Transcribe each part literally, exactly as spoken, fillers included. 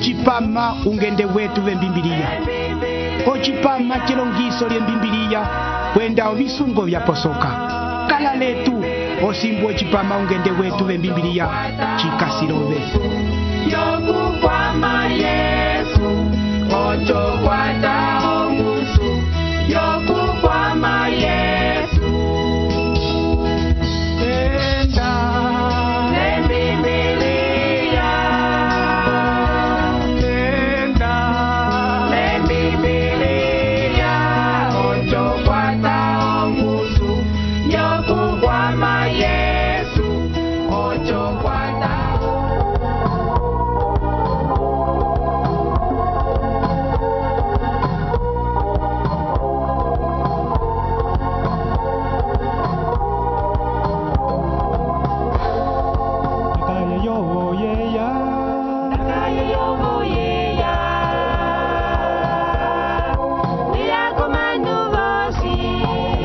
ocipama ungende wetu vembimbiliya, ocipama cilongiso lyembimbiliya kwenda ovisungo vyaposoka. Kala letu osimbu ocipama ungende wetu vembimbiliya cikasilove. Yokukwama Yesu, ocho kwata ongusu. Yokukwama Yesu, Enda Lembibiliya, enda Lembibiliya, ocho kwata ongusu. Yokukwama Yesu, ocho kwata. Kaya yo yeya, Kaya yovoyeya, niyakomanu vosi.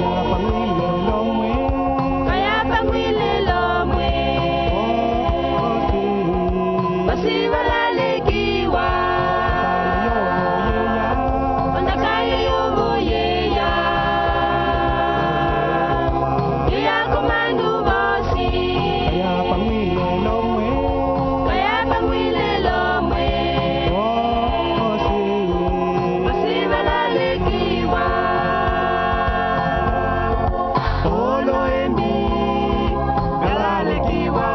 yapangile lomwe, Kaya pangwile lomwe, vosi valalekiwa. Onda kaya yovoyeya, niyakomanu vosi. yapangile lomwe, Kaya pangwile lomwe, vosi valalekiwa. Olo embi galalekiwa,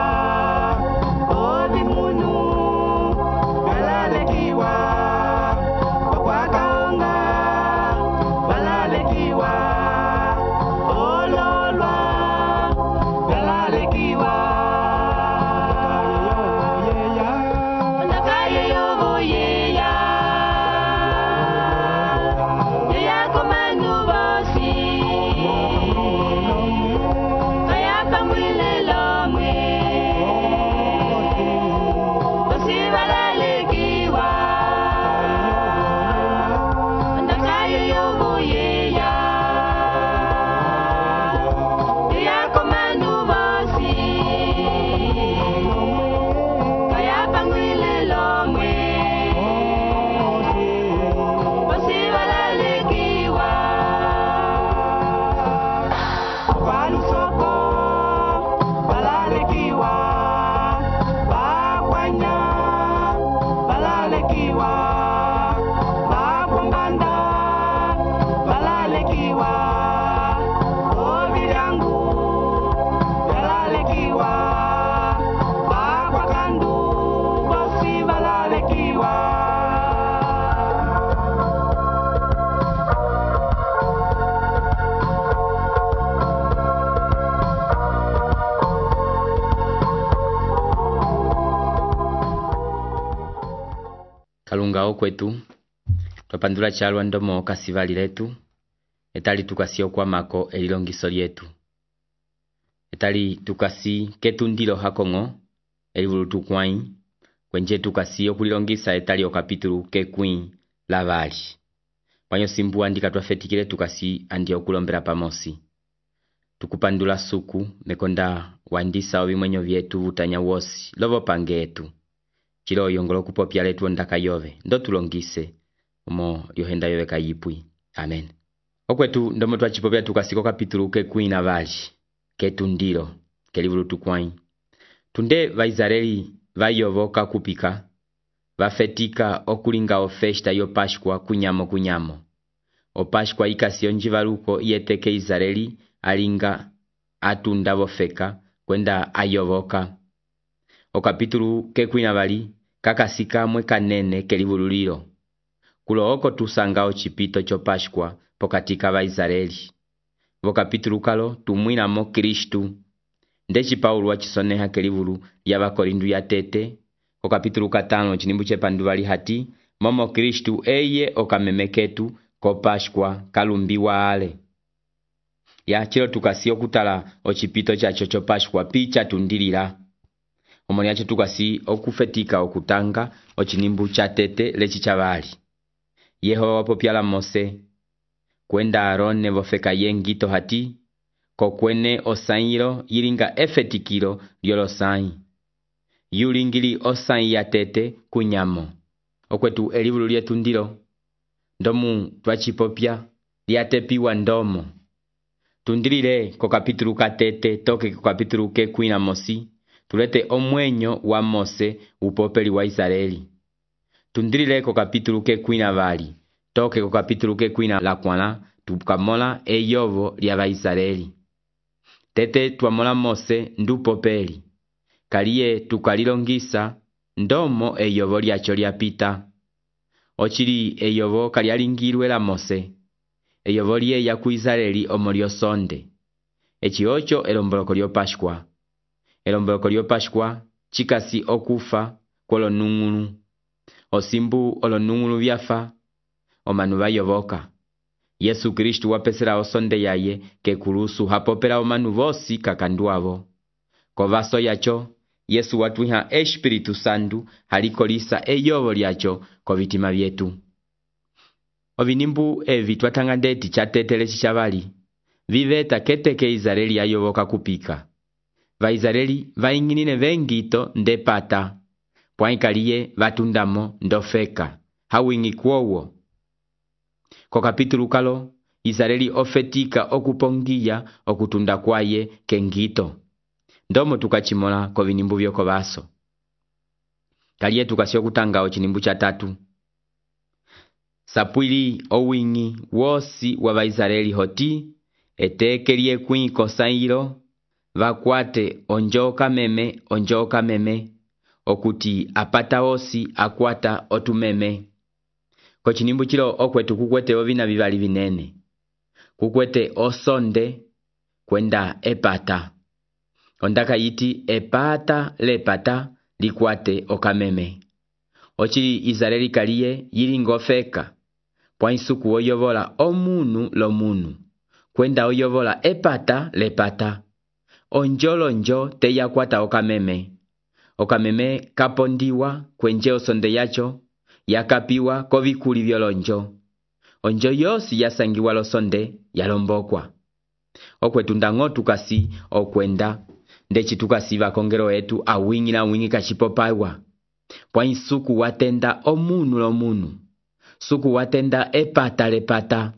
obi munu galalekiwa, okwakaonga galalekiwa, ololwa galalekiwa. Ondakaye yovoyeya, yeyakomanu vosi. Kaya pangwile lomwe, vosi valalekiwa. Ondakaye yovoyeya, yeyakomanu vosi. Kaya pangwile lomwe, vosi valalekiwa. Valusoko valalekiwa, vakwanya valalekiwa, vakwambanda valalekiwa, ovilyangu valalekiwa, vakwakandu vosi valalekiwa. Kalunga okwetu twapandula chalwa ndomo kasivali letu etali tukasi okwamako elilongiso lyetu etali tukasi ketundilo hakong'o elivulutu kwai kwenje tukasi okulilongisa etali okapitulu kekwii lavali panyo simbu andika twafetikile tukasi andi okulombela pamosi tukupandula suku mekonda wandisa ovimwenyo vyetu vutanya wosi lovo pange etu chilo yongolo kupopya letu ondaka yove ndo tulongise omo lyohenda yove kayipwi. Amen. Okwetu ndomo twachipopya tukasiko kapitulu kekwii na vali ketundilo kelivulutu kwai tunde vaisraeli vayovoka kupika vafetika okulinga ofesta yo Pashkwa kunyamo kunyamo opashkwa ikasi onjivaluko iyeteke Israeli alinga atunda vofeka kwenda ayovoka okapitulu kekwii na vali kakasika mwe kanene kelivululilo kulo oko tusanga ochipito cho Pashkwa pokatika vaisraeli vokapitulu kalo tumwinamo Kristu ndechi Paulo wachisoneha kelivulu ya vakorindu ya tete okapitulu katano chinimbu chepanduvali hati momo Kristu eye okamemeketu ko Pashkwa kalumbiwa ale ya chilo tukasi okutala ochipito chacho cho Pashkwa picha tundilila omoni yacho tukasi okufetika okutanga ochinimbu cha tete lechi chavali Yehova wapopyala Mose kwenda Arone vofeka yengito hati kokwene osairo yilinga efetikilo lyolosai yulingili osai ya tete kunyamo okwetu elivulu lyetu ndilo ndomu twachipopya lyatepiwa ndomo. Tundilile ko kapitulu katete toke ko kapitulu ke kwina mosi tulete omwenyo wa Mose upopeli wa Israeli. Tundilile ko kapitulu ke kwina vali toke ko kapitulu ke kwina la kwana tukamola eyovo lya ba Israeli. Tete tuamola Mose ndu popeli kaliye tukalilongisa ndomo eyovo lyacho lyapita. Ochili eyovo kalyalingirwe la Mose eyovo lye ya ku Israeli omolio sonde. Echi ocho elomboloko lyo Pashkwa. Elomboloko lyo Pashkwa chikasi okufa kwolo nungunu. Osimbu olo nungunu vyafa omanu bayovoka. Yesu Kristu wapesela osonde yaye ke kulusu hapopela omanu vosi kakanduavo. Kovaso yacho Yesu watuiha Espiritu Santu halikolisa eyovo lyacho kovitima vyetu. Ovinimbu evi twatanga ndeti chatetele chichavali viveta keteke Israeli yayovoka kupika. Va Israeli vainginine vengito ndepata pwaikaliye vatundamo ndofeka hawingi kuowo. Ko kapitulu kalo Israeli ofetika okupongiya okutunda kwaye kengito. Ndomo tukachimola ko vinimbu vyoko vaso. Kaliye tukasio kutanga ochinimbu cha tatu. Sapwili owingi wosi wa Israeli hoti etekelie kwiko sairo vakwate onjoka meme onjoka meme okuti apata osi akwata otumeme. Ko chinimbu chilo okwetu kukwete ovina vivali vinene. Kukwete osonde kwenda epata. Ondaka yiti epata lepata likwate okameme. Ochili Israeli kaliye yilingofeka pwaisuku oyovola omunu lo munu kwenda oyovola epata lepata. Onjolo njo teya kwata okameme. Okameme kapondiwa kwenje osonde yacho yakapiwa kovikuli vyolonjo. Onjo yosi yasangiwa losonde yalombokwa. Okwetu ndango tukasi okwenda ndechi tukasi vakongero etu awingi na wingi kachipopaiwa. Pwa suku watenda omunu lo munu. Suku watenda epata lepata.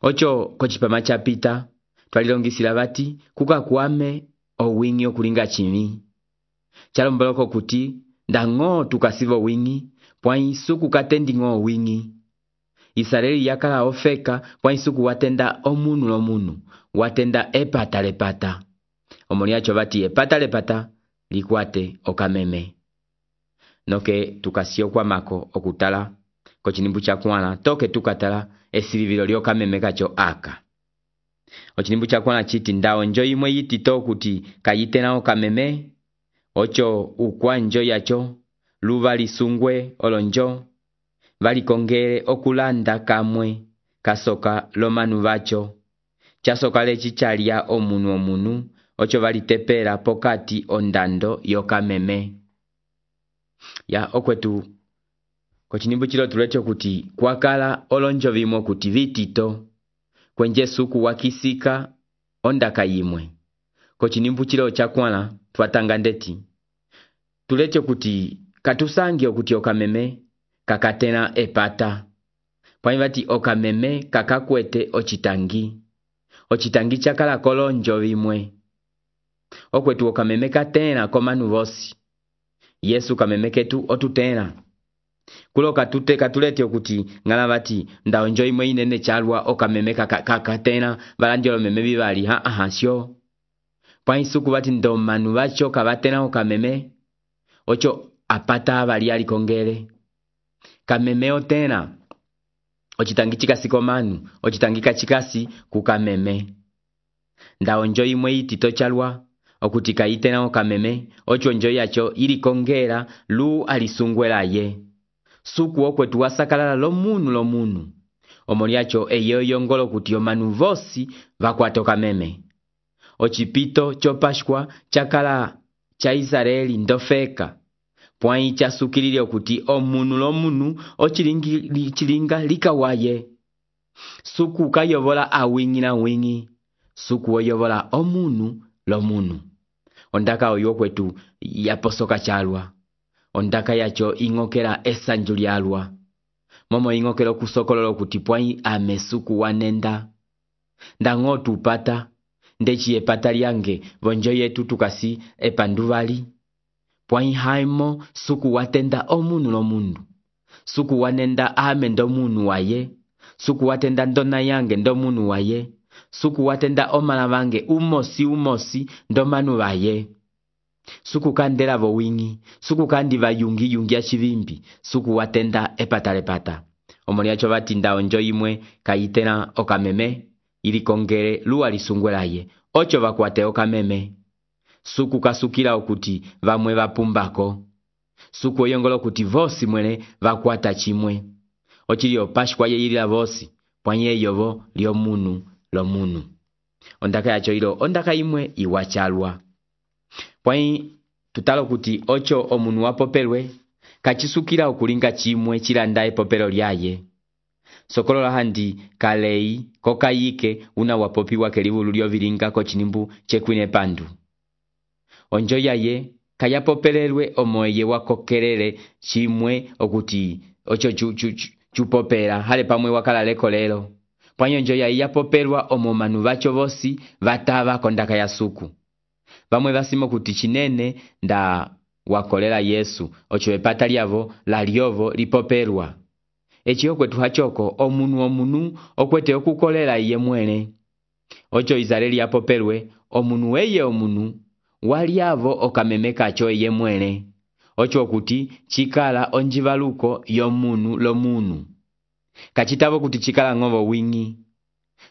Ocho kochipama chapita twalilongisila vati kuka kuame owingi okulinga chimi. Chalomboloko kuti ndango tukasivo wingi pwa suku katendi ngo wingi. Israeli yakala ofeka pwa suku watenda omunu lo munu watenda epata lepata. Omoliacho vati epata lepata likwate okameme. Noke tukasio kwa mako okutala kochinimbu cha kwana toke tukatala esilivilo lyo kameme kacho aka. Ochinimbu cha kwana chiti ndao njo imwe yiti to kuti kayitena okameme. Ocho ukwa njo yacho luva lisungwe olonjo vali kongere okulanda kamwe kasoka lomanu vacho. Chasoka lechi chalia omunu omunu ocho vali tepera pokati ondando yokameme. Ya okwetu kochinimbu chilo tulecho kuti kwakala olonjo vimo kuti vitito kwenje suku wakisika ondaka yimwe. Kochinimbu chilo chakwana twatanga ndeti tulecho kuti katusangi okuti okameme kakatena epata. Pwaivati okameme kakakwete ochitangi. Ochitangi chakala kolonjo vimwe. Okwetu okameme katena komanu vosi. Yesu kameme ketu otutena. Kulo katute katulete okuti ngala vati ndaonjo imwe inene chalwa okameme kakatena valanjolo meme vivali ha ahasyo. Pwaisuku vati ndo manu vacho kavatena okameme ocho apata avali alikongele. Kameme otena ochitangi chikasi komanu ochitangi kachikasi kukameme. Ndaonjo imwe itito chalwa okuti kaitena okameme ocho njo yacho ilikongela lu alisungwela ye. Suku okwetu wasakalala lo munu lo munu. Omoliacho eyo yongolo kuti omanu vosi vakwata okameme. Ochipito cho Pashkwa chakala cha Israeli ndofeka. Pwai chasukilile okuti omunu lo munu ochilingi chilinga likawaye. Suku kayovola awingi na wingi. Suku oyovola omunu lo munu. Ondaka oyo kwetu yaposoka chalwa. ondaka yacho ing'okela esanju lyalwa momo ing'okela okusokolola okuti pwai ame suku wanenda ndang'o tupata ndechi epata lyange vonjo yetu tukasi epanduvali pwai haimo suku watenda omunu lomundu suku wanenda ame ndo munu waye suku watenda ndona yange ndo munu waye suku watenda omala vange umosi umosi ndo manu vaye suku kandela vo wingi suku kandi vayungi yungi ya chivimbi suku watenda epata lepata omoni yacho vatinda onjo imwe kayitena okameme ili kongele luwa lisungwelaye ocho vakwate okameme suku kasukila okuti vamwe vapumbako suku oyongola okuti vosi mwene vakwata chimwe ochilio pashkwa yeyilila vosi pwanye yovo lyo munu lo munu ondaka yacho ilo ondaka imwe iwachalwa pwai tutalo kuti ocho omunu wapopelwe kachisukila okulinga chimwe chilanda epopelo lyaye sokolola handi kalei kokayike una wapopiwa kelivulu lyovilinga kochinimbu chekwine pandu onjo yaye kayapopelelwe omoye wakokelele chimwe okuti ocho chu, chu, chu, chupopela hale pamwe wakalaleko lelo pwanyo onjo yaye yapopelwa omo manu vacho vosi vatava kondaka ya suku vamwe vasimo kuti chinene nda wakolela Yesu ocho epata lyavo la lyovo lipopelwa echi okwetu hachoko omunu omunu okwete okukolela iye mwene ocho Israeli yapopelwe omunu weye omunu waliavo okameme kacho iye mwene ocho okuti chikala onjivaluko yomunu lomunu kachitavo kuti chikala ng'ovo wingi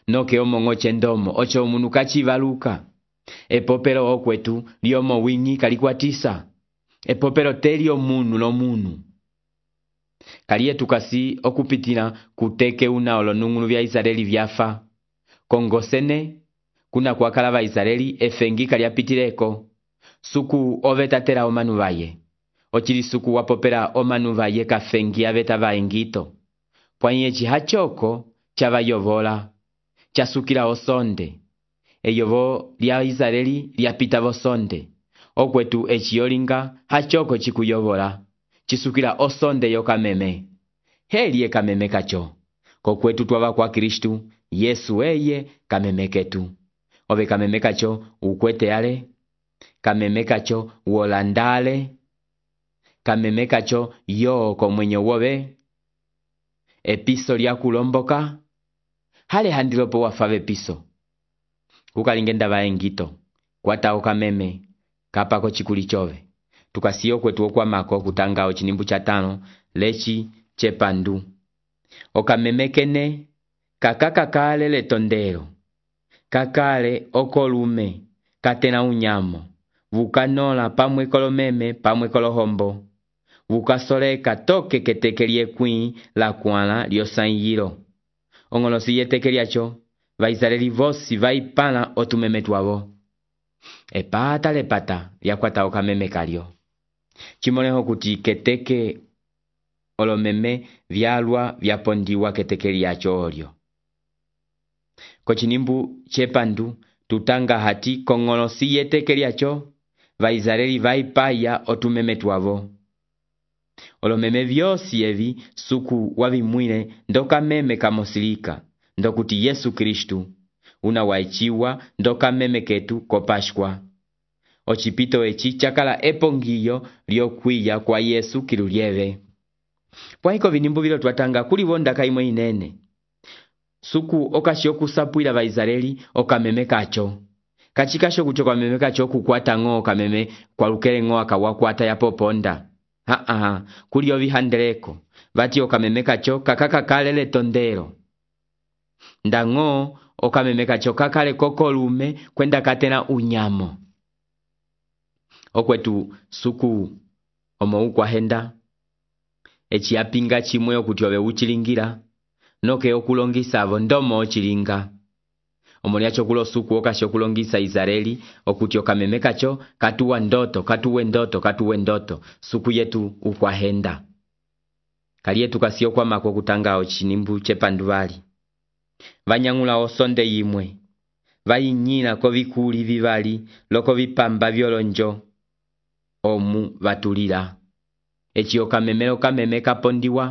noke omong'o chendomo ocho omunu kachivaluka epopelo okwetu lyomo wingi kalikwatisa epopelo teli omunu lomunu kaliye tukasi okupitila kuteke una olonung'ulu vya Israeli vyafa kongosene kuna kwakala va Israeli efengi kalyapitileko suku ovetatela omanu vaye ochili suku wapopela omanu vaye kafengi aveta vaengito pwanye chihachoko chavayovola chasukila osonde eyovo lya Israeli lyapita vosonde okwetu echiyolinga hachoko chikuyovola chisukila osonde yokameme heli kameme kacho kokwetu twava kwa Kristu Yesu eye kameme ketu ove kameme kacho ukwete ale kameme kacho wolandale kameme kacho yo komwenyo wove episo lya kulomboka hale handilopo wafave piso kukalingenda vaengito kwata okameme kapako chikuli chove tukasiyo kwetu okwamako kutanga ochinimbu cha tano lechi chepandu okameme kene kakakakale letondero kakale okolume katena unyamo vukanola pamwe kolomeme pamwe kolohombo vukasoleka toke keteke lyekwii la kwala lyosanyilo ong'olosi yeteke lyacho vaisraeli vosi vaipala otumeme twavo epata lepata lyakwata okameme kalyo chimoleho kuti keteke olomeme vyalwa vyapondiwa keteke lyacho olyo kochinimbu chepandu tutanga hati kong'olosi yeteke lyacho vaisraeli vaipaya otumeme twavo olomeme vyosi evi suku wavimwile ndokameme kamosilika ndokuti Yesu Kristu una waichiwa ndokameme ketu kopashkwa ochipito echi chakala epongiyo lyokwiya kwa Yesu kilulyeve pwaiko vinimbu vilo twatanga kulivo ndaka imwe inene suku okashi okusapwila vaisraeli okameme kacho kachikasho kucho kameme kacho kukwata ng'o okameme kwa lukele ng'o akawakwata yapoponda ha ha kulio vihandeleko vati okameme kacho kakakakale letondero ndang'o okameme kacho kakale kokolume kwenda katena unyamo okwetu suku omo ukwahenda echi apinga chimwe okuti ove uchilingira noke okulongisa avo ndomo ochilinga omoni yacho kulo suku okashi okulongisa Israeli okuti okameme kacho katuwa ndoto katuwe ndoto katuwe ndoto suku yetu ukwahenda kaliyetu kasiyo kwamako kutanga ochinimbu chepanduvali vanyang'ula osonde yimwe vayinyila kovikuli vivali loko vipamba vyolonjo omu vatulila eci okamemele okameme kapondiwa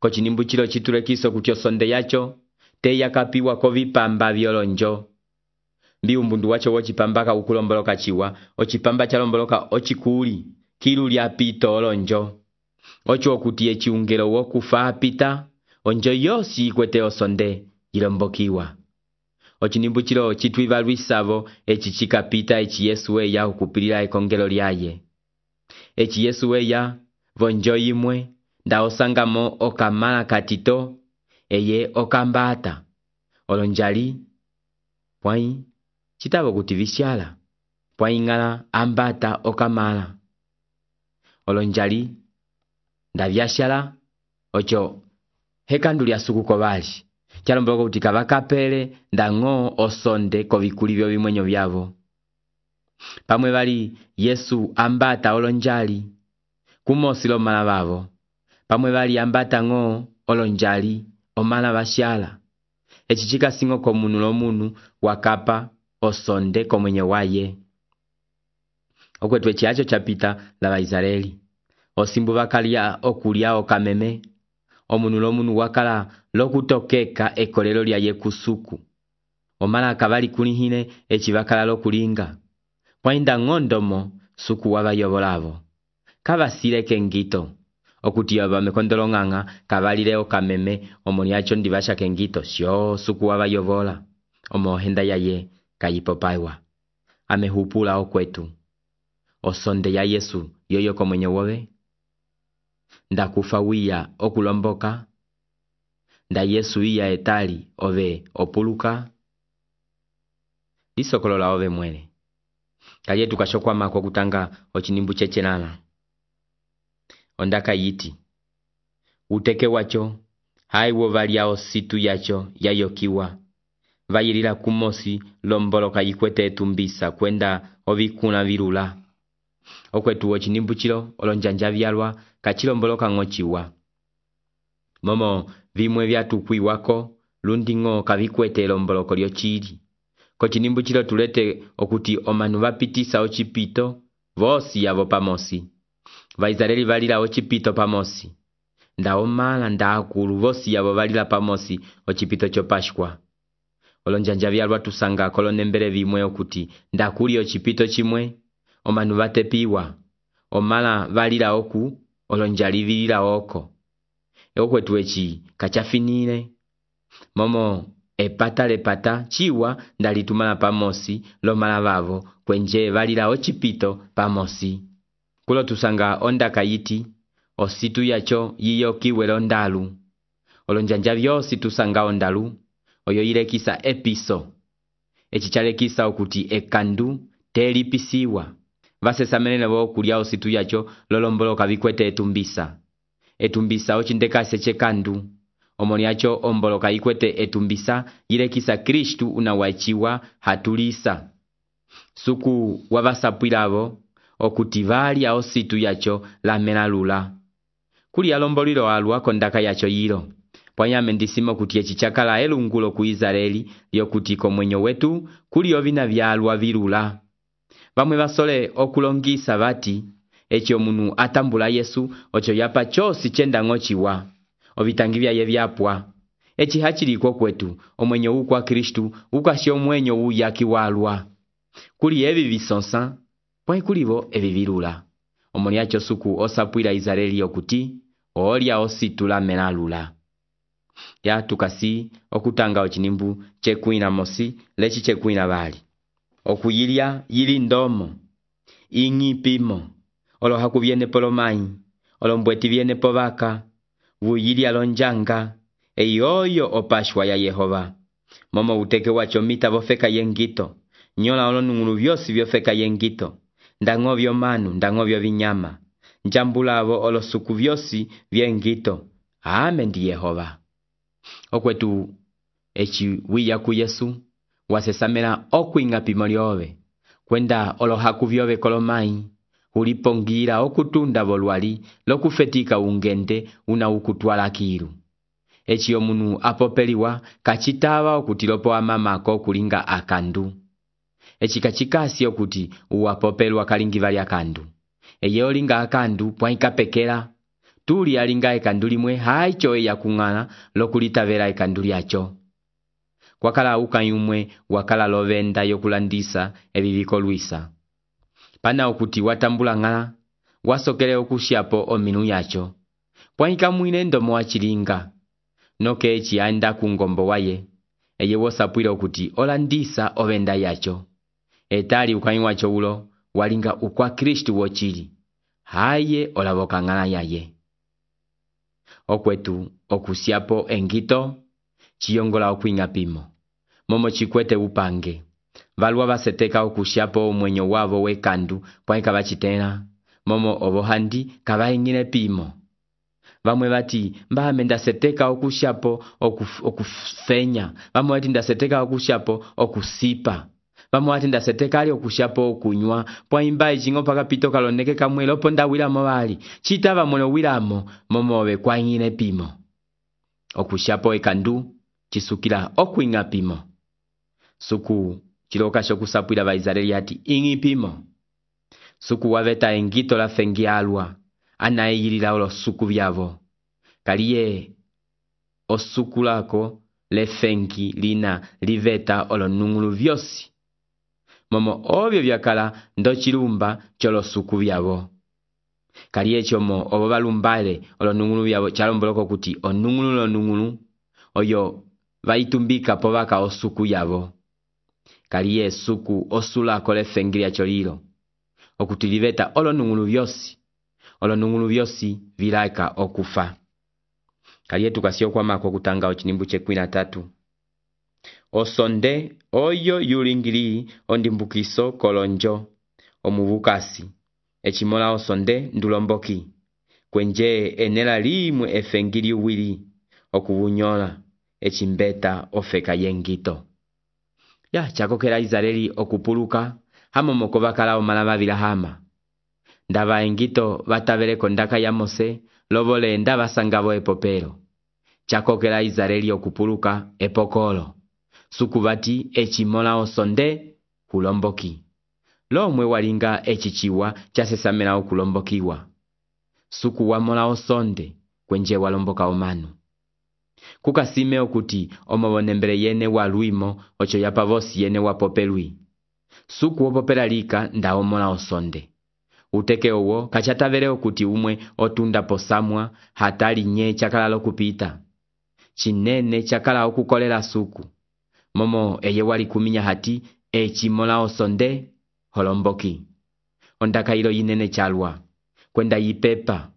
kocinimbucilo citulekiso kuti osonde yaco teya kapiwa kovipamba vyolonjo. Mbi umbundu wacho wocipamba ukulomboloka ciwa, ocipamba chalomboloka ocikuli kilu lya pito olonjo. Ocho okuti eci ungelo wokufa apita, onjo yosi ikwete osonde ilombokiwa. Ocinimbucilo citwiva lwisavo eci cikapita eci Yesu weya ukupilila ekongelo lyaye. Eci Yesu weya vonjo imwe nda osangamo okamala katito eye okambata. Olonjali pwai citavo kuti vishala pwai ngala ambata okamala. Olonjali nda vyashala ocho hekandu lya suku kovali. Chalomboloka kuti kavakapele ndango osonde kovikuli vyo vimwenyo vyavo. Pamwe vali Yesu ambata olonjali kumosi lo mala vavo. Pamwe vali ambata ngo olonjali omala vashala. Eci cikasingo komunu lo munu wakapa osonde komwenye waye. Okwetu eci acho chapita la Vaisraeli. Osimbu vakalia okulia okameme. Omunu lo munu wakala lokutokeka ekolelo lya ye kusuku. Omala kavali kulihine eci vakala lokulinga. Pwainda ngondomo suku wava yovolavo. Kavasile kengito. Okuti yava mekondolo nganga kavalile okameme omoni acho ndivasha kengito. Sio suku wava yovola. Omo henda ya ye kayipopaiwa. Amehupula okwetu. Osonde ya Yesu yoyo komwenye wowe. Nda kufa wiya okulomboka. Nda Yesu iya etali ove opuluka. Lisokolola ove mwele. Kalie tukashokwa mako kutanga ochinimbu chechenala. Ondaka yiti. Uteke wacho haiwo valia ositu yacho yayokiwa. Vayilila kumosi lomboloka yikwete etumbisa kwenda ovikuna virula. Okwetu ochinimbu chilo olonjanja vyalwa kachilomboloka ngochiwa. Momo vimwe vyatukwi wako lundingo kavikwete lomboloko lyo chili. Kochinimbu chilo tulete okuti omanu vapitisa ochipito vosi yavo pamosi. Vaisraeli valila ochipito pamosi. Nda omala nda akulu vosi yavo valila pamosi ochipito chopashkwa. Olonjanja vyalwa tusanga kolonembele vimwe okuti nda kuli ochipito chimwe omanu vatepiwa. Omala valila oku olonjali vilila oko. Eokwetu eci kachafinile. Momo epata lepata chiwa ndalitumala pamosi lomala vavo kwenje valila ochipito pamosi. Kulo tusanga ondaka yiti ositu yacho yiyo kiwe londalu. Olonjanja vyosi tusanga ondalu oyo yilekisa episo. Eci chalekisa okuti ekandu telipisiwa. Vasesamene vo kulia ositu yacho lolomboloka vikwete etumbisa. Etumbisa ochindekase chekandu. Omoni acho omboloka ikwete etumbisa yilekisa Kristu unawachiwa hatulisa. Suku wavasapwilavo okuti valia ositu yacho la melalula. Kuli alombolilo alwa kondaka yacho yilo. Pwanyame ndisimo kuti eci chakala elungulo ku Israeli yokuti komwenyo wetu kuli ovina vyalwa virula. Vamwe vasole okulongisa vati eci omunu atambula Yesu ocho yapa chosi chenda ngochiwa. Ovitangi vyaye vyapwa. Eci hachiliko kwetu omwenyo ukwa Kristu ukasi omwenyo uyaki walwa. Kuli evi visonsa pwai kulivo evi virula. Omoni acho suku osapwila Israeli yokuti olia ositula melalula. Ya tukasi okutanga ochinimbu chekuina mosi lechi chekuina vali. Okuyilia yili ndomo. Ingi pimo. Olo haku viene polomai. Olo mbweti viene povaka. Vuyilia lonjanga. Eyoyo opashwa ya Yehova. Momo uteke wacho mita vofeka yengito. Nyola olo nungulu vyosi vyofeka yengito. Ndango vyo manu, ndango vyo vinyama. Njambulavo olo suku vyosi vyengito. Amen di Yehova. Okwetu echi wiya ku Yesu. Wasesamela okuinga pimoliove. Kwenda olo haku vyove kolomai. Ulipongira okutunda volwali lokufetika ungende una ukutwala kiru. Echi omunu apopeliwa kachitava okutilopo amamako kulinga akandu. Echi kachikasi okuti uapopelwa kalingi vali akandu. Eye olinga akandu pwaika pekela tuli alinga ekandu limwe haicho eya kung'ala lokulitavela ekandu lyacho. Kwakala ukani umwe wakala lovenda yokulandisa ebibiko luisa. Pana okuti watambula ng'ala, wasokele okushiapo ominu yacho. Pwaika mwine ndomo wachilinga. Noke echi anda kungombo waye. Eye wosapwile okuti olandisa ovenda yacho. Etali ukani wacho ulo, walinga ukwa Kristu wochili. Haye olavoka ng'ala yaye. Okwetu okusiapo engito, chiyongola okuinga pimo. Momo chikwete upange. Valua vaseteka okushiapo omwenyo wavo wekandu, pwaika vachitena. Momo obohandi kavaingine pimo. Vamwe vati mba menda seteka okushiapo okuf, okufenya. Vamwe vati nda seteka okushiapo okusipa. Vamwe vati nda seteka ali okushiapo okunywa. Pwaimba ichingo paka pito kaloneke kamwe lopo nda wilamo vali. Chita vamwelo wilamo momo ove kwa ingine pimo. Okushiapo ekandu chisukila okuinga pimo. Suku chiloka shokusapwila vaizareli hati ingi pimo. Suku waveta engito la fengi alwa. Ana eyilila olo suku vyavo. Kaliye osuku lako le fengi lina liveta olo nungulu vyosi. Momo ovyo vyakala ndo chilumba cholo suku vyavo. Kaliye chomo obo balumbale olo nungulu vyavo chalomboloko kuti onungulu lo nungulu oyo vaitumbika povaka osuku yavo. Kaliye suku osulako le fengi lya cholilo. Okuti liveta olo nungulu vyosi. Olo nungulu vyosi vilaika okufa. Kaliye tukasio kwa mako kutanga ochinimbu chekwi na tatu. Osonde oyo yulingili ondimbukiso kolonjo omuvukasi. Echimola osonde ndulomboki. Kwenje enela limwe efengili uwili okuvunyola. Echimbeta ofeka yengito. Ya chakokela Izareli okupuluka. Hamo moko bakala omalava vilahama. Ndava engito vatavele kondaka ya Mose, lovole ndava sangavo epopero. Chakokela Izareli okupuluka epokolo. Sukuvati echimola osonde kulomboki. Lomwe walinga echichiwa chasesamela okulombokiwa. Suku wamola osonde kwenje walomboka omanu. Kukasime okuti omobonembele yene waluimo ocho yapavosi yene wapopelwi. Suku wopopela lika nda omola osonde. Uteke owo kachatavele okuti umwe otunda posamwa hatali nye chakala lokupita. Chinene chakala okukolela suku. Momo eye wali kuminya hati echimola osonde holomboki. Ondaka ilo yinene chalwa. Kwenda yipepa.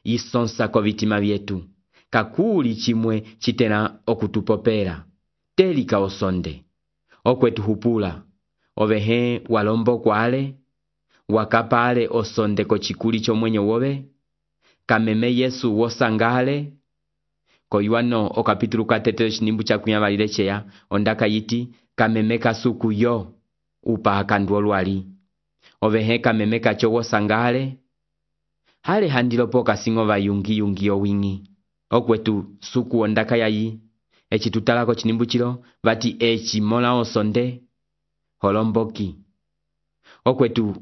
Yisonsa ko vitima vyetu. Kakuli chimwe chitena okutupopera. Telika osonde. Okwetu hupula. Ovehe walombo kwale. Wakapale osonde ko chikuli chomwenyo wobe. Kameme Yesu wosangale. Koyuano okapitulu katetelo chinimbu cha kunyavalile cheya. Ondaka yiti kameme kasuku yo. Upa akandu olwali. Ovehe kameme kacho wosangale. Hale handilopo kasingova yungi yungi owingi. Okwetu suku ondaka yayi. Echi tutalako chinimbu chilo. Vati echi mola osonde. Holomboki. Okwetu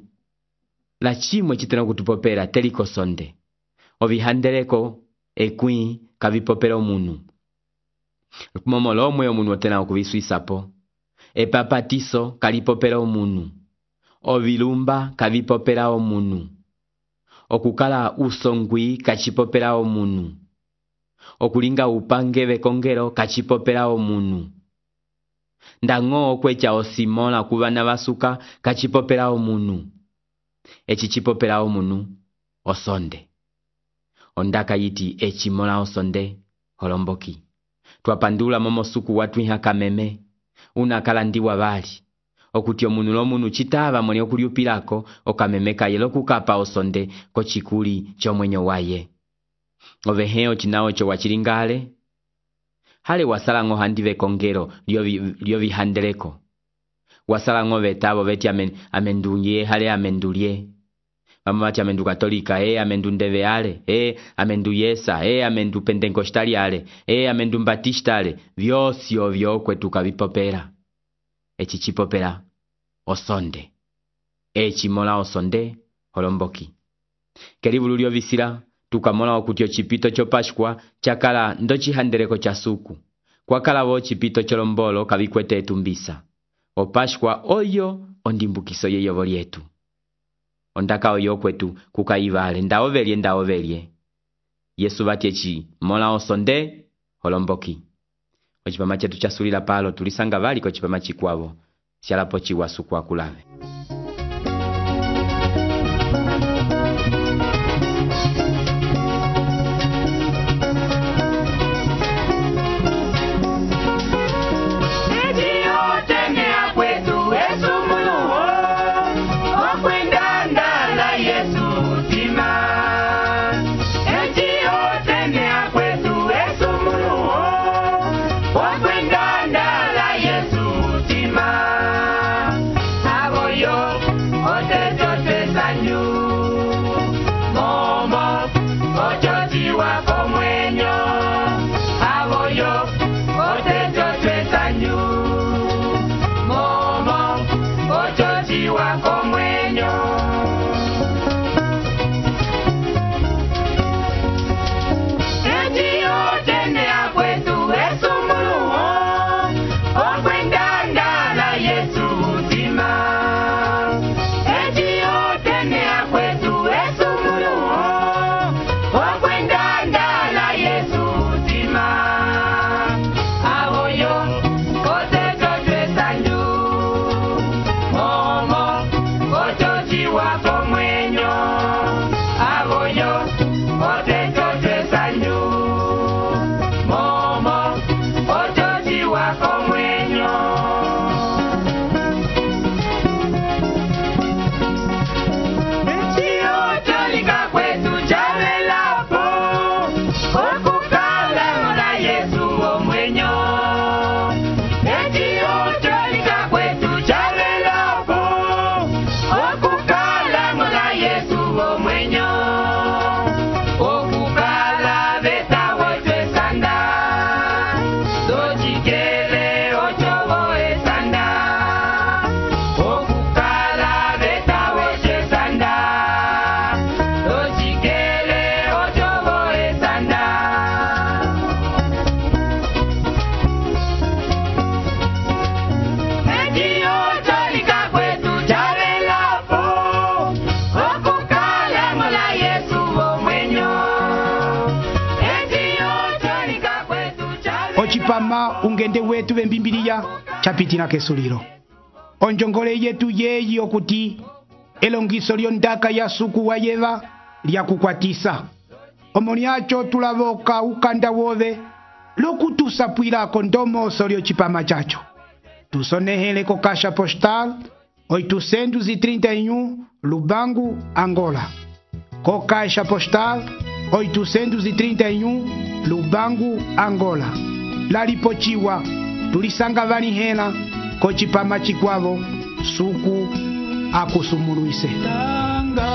la chimwe chitena kutupopera teliko sonde. Ovihandeleko ekwi kavipopera omunu. Momo lomwe omunu otena okuvisuisapo. Epapatiso kalipopera omunu. Ovilumba kavipopera omunu. Okukala usongwi kachipopera omunu. Okulinga upange vekongero kachipopera omunu. Ndango okwecha osimola kubana basuka kachipopera omunu. Echi chipopera omunu osonde. Ondaka yiti echimola osonde holomboki. Twapandula momo suku watu iha kameme. Unakala ndiwa bali. Okuti omunu lomunu chitava mwene okuliupilako okamemeka yelo kukapa osonde kochikuli chomwenyo waye. Oveheo chinao cho wachilingale. Hale wasalango handive kongero lio vihandeleko. Wasalango vetabo veti amen, amendunye hale amendulie. Mamati amendu katolika, eh amendu ndeve ale, eh amendu yesa, eh amendu pentenkostali ale, eh amendu mbatista ale. Vyosi ovyo kwetu kavipopera. Echi chipopera osonde. Echi mola osonde holomboki. Keribulu lio visila tukamola okuti ocipito cho Páscoa chakala ndo cihandeleko cha suku. Kwakalavo cipito cholombolo kavikwete etumbisa. O Páscoa oyo ondimbukiso yeyovo lyetu. Ondaka oyo kwetu kukaivale ndaovelye ndaovelye. Yesu batyechi mola osonde holomboki. Ochipama chetu chasulila palo tulisanga vali ko chipama chikwavo. Sialapo chiwasu kwa kulave. Ochipama ungende wetu bembimbiliya chapitina kesuliro. Onjongole yetu yeyi okuti elongiso lyondaka ya suku wa yeva lya kukwatisa. Omoniacho tulavoka ukanda wove lokutusapwilako ndomoso lyochipama chacho. Tusonehele ko kasha postal oitocentos e trinta e um Lubango, Angola. Co caixa postal oitocentos e trinta e um Lubango, Angola. Lalipochiwa tulisanga vani hena ko chipama chikwavo suku akusumuluise. Tanga,